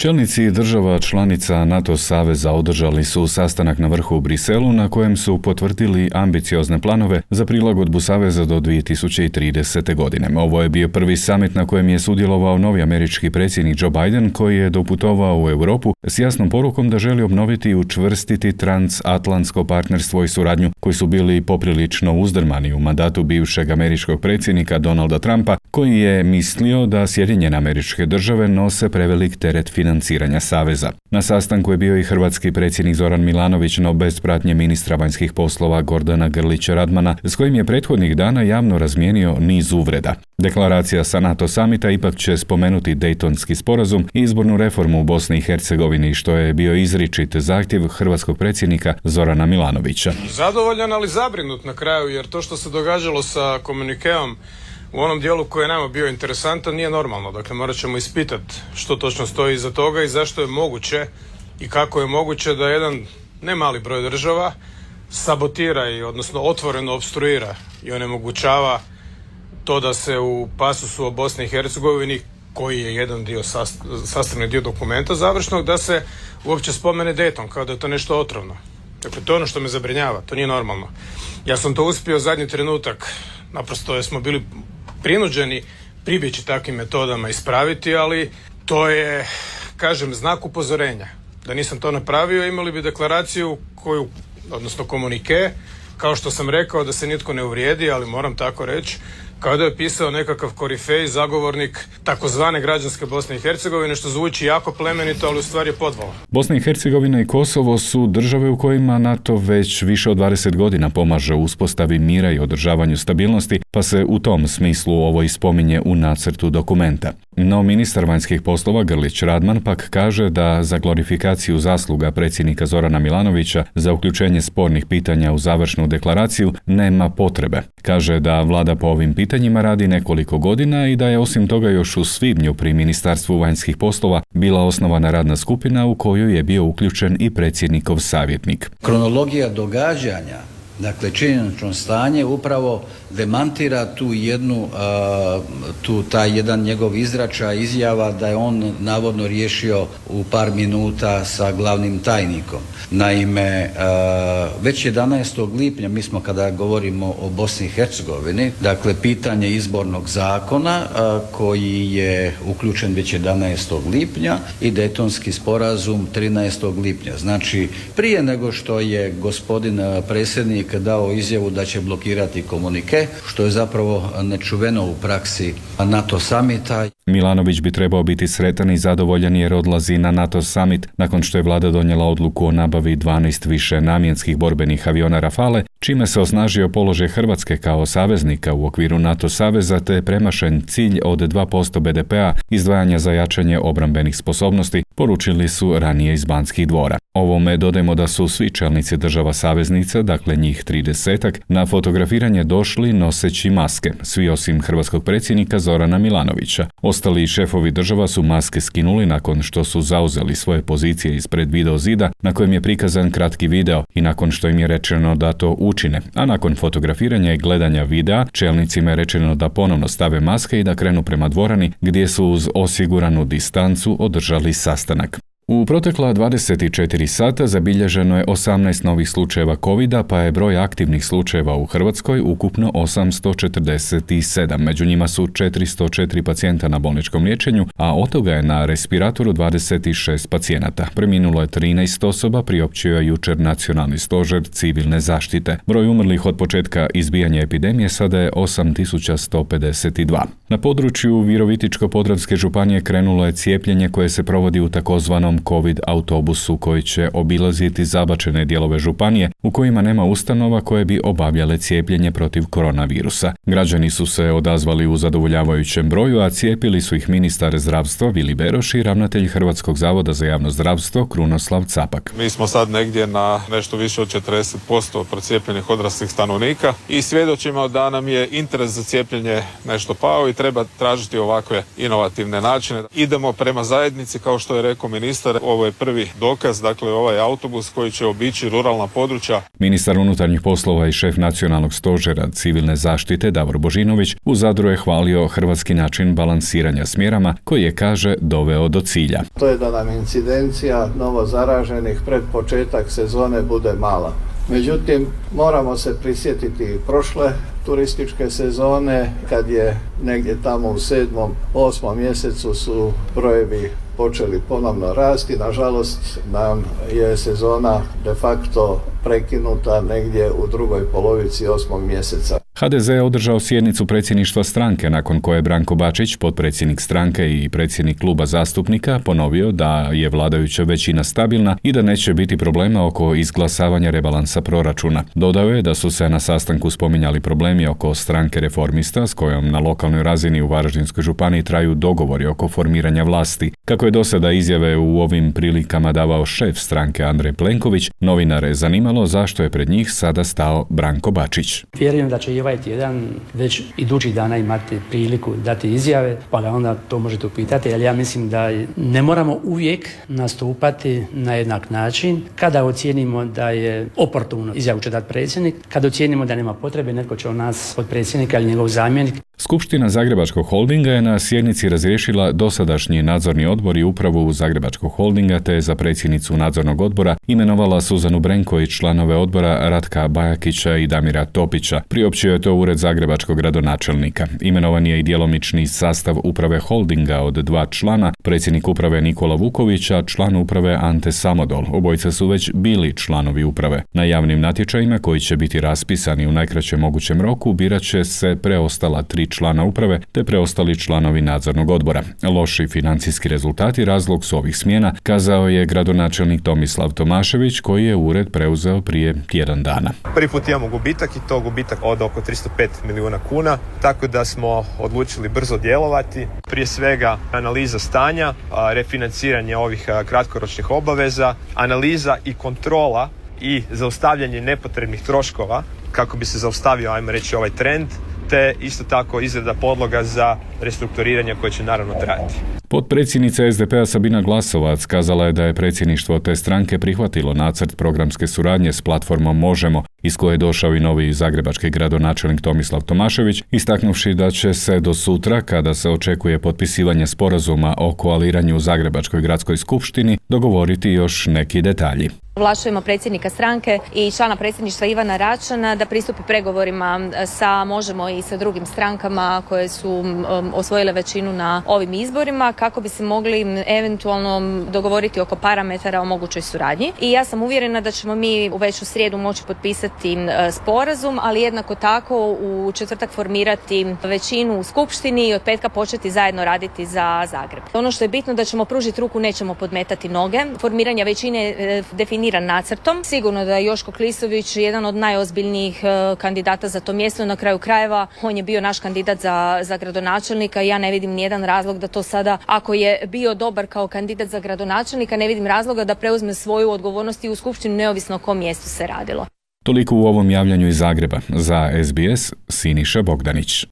Čelnici država članica NATO saveza održali su sastanak na vrhu u Briselu na kojem su potvrdili ambiciozne planove za prilagodbu saveza do 2030. godine. Ovo je bio prvi samit na kojem je sudjelovao novi američki predsjednik Joe Biden, koji je doputovao u Europu s jasnom porukom da želi obnoviti i učvrstiti transatlantsko partnerstvo i suradnju koji su bili poprilično uzdrmani u mandatu bivšeg američkog predsjednika Donalda Trumpa, koji je mislio da Sjedinjene Američke Države nose prevelik teret financiranja saveza. Na sastanku je bio i hrvatski predsjednik Zoran Milanović, no bez pratnje ministra vanjskih poslova Gordana Grlića Radmana, s kojim je prethodnih dana javno razmijenio niz uvreda. Deklaracija sa NATO samita ipak će spomenuti Dejtonski sporazum i izbornu reformu u Bosni i Hercegovini, što je bio izričit zahtjev hrvatskog predsjednika Zorana Milanovića. Zadovoljan, ali zabrinut na kraju, jer to što se događalo sa komunikeom u onom dijelu koji je nama bio interesantan nije normalno. Dakle, morat ćemo ispitati što točno stoji iza toga i zašto je moguće i kako je moguće da jedan ne mali broj država sabotira odnosno otvoreno opstruira i onemogućava to da se u pasusu o Bosni i Hercegovini, koji je jedan dio, sastavni dio dokumenta završnog, da se uopće spomene Dayton, kao da je to nešto otrovno. Dakle, to je ono što me zabrinjava, to nije normalno. Ja sam to uspio zadnji trenutak, naprosto jer smo bili prinuđeni pribjeći takvim metodama ispraviti, ali to je, kažem, znak upozorenja. Da nisam to napravio, imali bi deklaraciju koju, odnosno komunike, kao što sam rekao, da se nitko ne uvrijedi, ali moram tako reći, kao da je pisao nekakav korifej, zagovornik takozvane građanske Bosne i Hercegovine, što zvuči jako plemenito, ali u stvari je podvala. Bosna i Hercegovina i Kosovo su države u kojima NATO već više od 20 godina pomaže u uspostavi mira i održavanju stabilnosti, pa se u tom smislu ovo i spominje u nacrtu dokumenta. No ministar vanjskih poslova Grlić Radman pak kaže da za glorifikaciju zasluga predsjednika Zorana Milanovića za uključenje spornih pitanja u završnu deklaraciju nema potrebe. Kaže da vlada po ovim pitanjima radi nekoliko godina i da je osim toga još u svibnju pri Ministarstvu vanjskih poslova bila osnovana radna skupina u koju je bio uključen i predsjednikov savjetnik. Kronologija događanja, dakle činjenično stanje, upravo demantira taj jedan njegov izračaj, izjava da je on navodno riješio u par minuta sa glavnim tajnikom. Naime, već 11. lipnja, mi smo kada govorimo o Bosni i Hercegovini, dakle pitanje izbornog zakona koji je uključen već 11. lipnja i Dejtonski sporazum 13. lipnja. Znači, prije nego što je gospodin predsjednik dao izjavu da će blokirati komunike, što je zapravo nečuveno u praksi NATO samita. Milanović bi trebao biti sretan i zadovoljan jer odlazi na NATO summit nakon što je vlada donijela odluku o nabavi 12 više namjenskih borbenih aviona Rafale, čime se osnažio položaj Hrvatske kao saveznika u okviru NATO saveza te premašen cilj od 2% BDP-a izdvajanja za jačanje obrambenih sposobnosti, poručili su ranije iz Banskih dvora. Ovome dodajmo da su svi čelnici država saveznica, dakle njih 30-ak, na fotografiranje došli noseći maske, svi osim hrvatskog predsjednika Zorana Milanovića. Ostali šefovi država su maske skinuli nakon što su zauzeli svoje pozicije ispred video zida na kojem je prikazan kratki video i nakon što im je rečeno da to učine, a nakon fotografiranja i gledanja videa čelnicima je rečeno da ponovno stave maske i da krenu prema dvorani gdje su uz osiguranu distancu održali sastanak. U protekla 24 sata zabilježeno je 18 novih slučajeva COVID-a, pa je broj aktivnih slučajeva u Hrvatskoj ukupno 847. Među njima su 404 pacijenta na bolničkom liječenju, a od toga je na respiratoru 26 pacijenata. Preminulo je 13 osoba, priopćio je jučer Nacionalni stožer civilne zaštite. Broj umrlih od početka izbijanja epidemije sada je 8152. Na području Virovitičko-podravske županije krenulo je cijepljenje koje se provodi u takozvanom COVID autobusu koji će obilaziti zabačene dijelove županije u kojima nema ustanova koje bi obavljale cijepljenje protiv koronavirusa. Građani su se odazvali u zadovoljavajućem broju, a cijepili su ih ministar zdravstva Vili Beroš i ravnatelj Hrvatskog zavoda za javno zdravstvo Krunoslav Capak. Mi smo sad negdje na nešto više od 40% procijepljenih odraslih stanovnika i svjedočimo da nam je interes za cijepljenje nešto pao i treba tražiti ovakve inovativne načine. Idemo prema zajednici, kao što je rekao ministar, ministar, ovo je prvi dokaz, dakle ovaj autobus koji će obići ruralna područja. Ministar unutarnjih poslova i šef nacionalnog stožera civilne zaštite Davor Božinović u Zadru je hvalio hrvatski način balansiranja s mjerama koji je, kaže, doveo do cilja. To je da nam incidencija novo zaraženih pred početak sezone bude mala. Međutim, moramo se prisjetiti prošle turističke sezone, kad je negdje tamo u 7. 8. mjesecu su brojevi počeli ponovno rasti. Nažalost, nam je sezona de facto prekinuta negdje u drugoj polovici 8. mjeseca. HDZ je održao sjednicu predsjedništva stranke, nakon koje je Branko Bačić, potpredsjednik stranke i predsjednik kluba zastupnika, ponovio da je vladajuća većina stabilna i da neće biti problema oko izglasavanja rebalansa proračuna. Dodao je da su se na sastanku spominjali problemi oko stranke Reformista, s kojom na lokalnoj razini u Varaždinskoj županiji traju dogovori oko formiranja vlasti. Kako je do sada izjave u ovim prilikama davao šef stranke Andrej Plenković, novinare je zanimalo zašto je pred njih sada stao Branko Bačić. Vjerujem da će i ovaj tjedan već idućih dana imati priliku dati izjave, pa ga onda to možete upitati, ali ja mislim da ne moramo uvijek nastupati na jednak način. Kada ocijenimo da je oportuno, izjavu će dati predsjednik, kada ocijenimo da nema potrebe, netko će od nas od predsjednika ili njegov zamjenik. Skupština Zagrebačkog holdinga je na sjednici razriješila dosadašnji nadzorni odbor i upravu Zagrebačkog holdinga, te za predsjednicu nadzornog odbora imenovala Suzanu Brenko i članove odbora Ratka Bajakića i Damira Topića. Priopćio je to ured zagrebačkog gradonačelnika. Imenovan je i djelomični sastav uprave holdinga od 2 člana, predsjednik uprave Nikola Vukovića, član uprave Ante Samodol. Obojica su već bili članovi uprave. Na javnim natječajima, koji će biti raspisani u najkraćem mogućem roku, birat će se preostala 3 člana uprave te preostali članovi nadzornog odbora. Loši financijski rezultati razlog su ovih smjena, kazao je gradonačelnik Tomislav Tomašević, koji je ured preuzeo prije tjedan dana. Prvi put imamo gubitak i to gubitak od oko 305 milijuna kuna, tako da smo odlučili brzo djelovati. Prije svega analiza stanja, refinanciranje ovih kratkoročnih obaveza, analiza i kontrola i zaustavljanje nepotrebnih troškova kako bi se zaustavio, ajmo reći, ovaj trend, te isto tako izrada podloga za restrukturiranje koje će naravno trajati. Potpredsjednica SDP-a Sabina Glasovac kazala je da je predsjedništvo te stranke prihvatilo nacrt programske suradnje s platformom Možemo, iz koje je došao i novi zagrebački gradonačelnik Tomislav Tomašević, istaknuvši da će se do sutra, kada se očekuje potpisivanje sporazuma o koaliranju u Zagrebačkoj gradskoj skupštini, dogovoriti još neki detalji. Ovlašćujemo predsjednika stranke i člana predsjedništva Ivana Račana da pristupi pregovorima sa Možemo i sa drugim strankama koje su osvojile većinu na ovim izborima, kako bi se mogli eventualno dogovoriti oko parametara o mogućoj suradnji. I ja sam uvjerena da ćemo mi već u srijedu moći potpisati sporazum, ali jednako tako u četvrtak formirati većinu u skupštini i od petka početi zajedno raditi za Zagreb. Ono što je bitno da ćemo pružiti ruku, nećemo podmetati noge. Formiranje većine definiran nacrtom. Sigurno da je Joško Klisović jedan od najozbiljnijih kandidata za to mjesto. Na kraju krajeva on je bio naš kandidat za gradonačelnika i ja ne vidim nijedan razlog da to sada, ako je bio dobar kao kandidat za gradonačelnika, ne vidim razloga da preuzme svoju odgovornost i u skupštinu, neovisno o kom mjestu se radilo. Toliko u ovom javljanju iz Zagreba. Za SBS, Siniša Bogdanić.